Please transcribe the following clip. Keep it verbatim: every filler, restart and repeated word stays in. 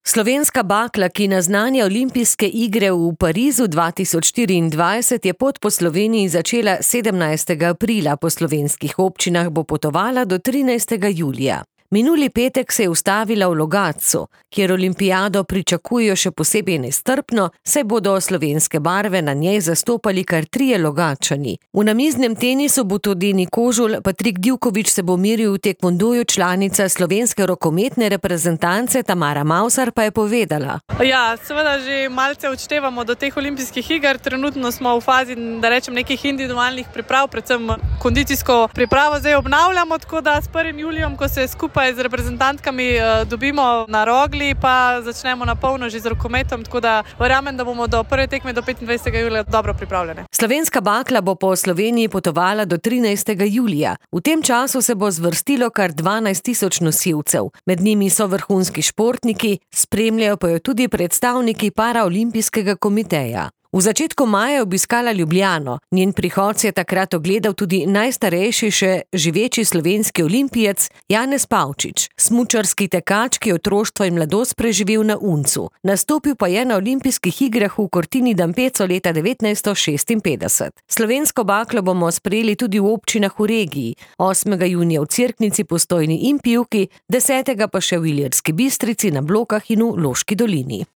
Slovenska bakla, ki naznanja olimpijske igre v Parizu dva tisoč štiriindvajset, je pot po Sloveniji začela sedemnajstega aprila, po slovenskih občinah bo potovala do trinajstega julija. Minuli petek se je ustavila v Logatcu, kjer olimpijado pričakujejo še posebej nestrpno, saj bodo slovenske barve na njej zastopali kar trije Logatčani. V namiznem tenisu bo tudi Nikožul, Patrik Divković se bo meril v tekvondoju, članica slovenske rokometne reprezentance Tamara Mavsar pa je povedala. Ja, seveda že malce odštevamo do teh olimpijskih iger, trenutno smo v fazi, da rečem, nekih individualnih priprav, predvsem kondicijsko pripravo zdaj obnavljamo, tako da s prvim julijem, ko se skupaj z reprezentantkami dobimo na Rogli, pa začnemo na polno že z rokometom, tako da verjamem, da bomo do prve tekme do petindvajsetega julija dobro pripravljene. Slovenska bakla bo po Sloveniji potovala do trinajstega julija. V tem času se bo zvrstilo kar dvanajst tisoč nosilcev. Med njimi so vrhunski športniki, spremljajo pa jo tudi predstavniki Paraolimpijskega komiteja. V začetku maja je obiskala Ljubljano. Njen prihod se je takrat ogledal tudi najstarejši še živeči slovenski olimpijec Janez Pavčič, smučarski tekač, ki je otroštvo in mladost preživel na Uncu. Nastopil pa je na olimpijskih igrah v Cortina d'Ampezzo leta devetnajststo šestinpetdeset. Slovensko baklo bomo sprejeli tudi v občinah v regiji. osmega junija v Cerknici, Postojni in Pivki, desetega pa še v Ilirski Bistrici, na Blokah in v Loški dolini.